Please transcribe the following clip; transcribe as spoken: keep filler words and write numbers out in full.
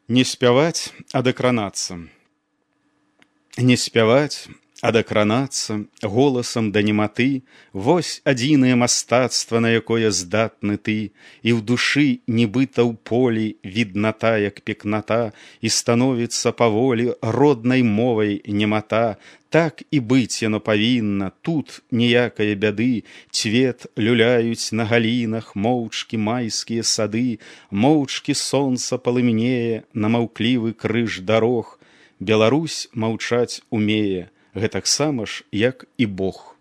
Не спяваць, а дакранацца. Не спяваць, а дакранацца голасам да нематы, вось адзінае мастацтва, на якое здатны ты, і ў душы, нібыта ў полі, відната, як пекната, і становіцца паволі роднай мовай немата. Так і быць яно павінна, тут ніякае бяды, цвет люляюць на галінах моўчкі майскія сады, моўчкі сонца палымнее на маўклівы крыж дарог. Беларусь маўчаць умее, гэтаксама ж, як і Бог.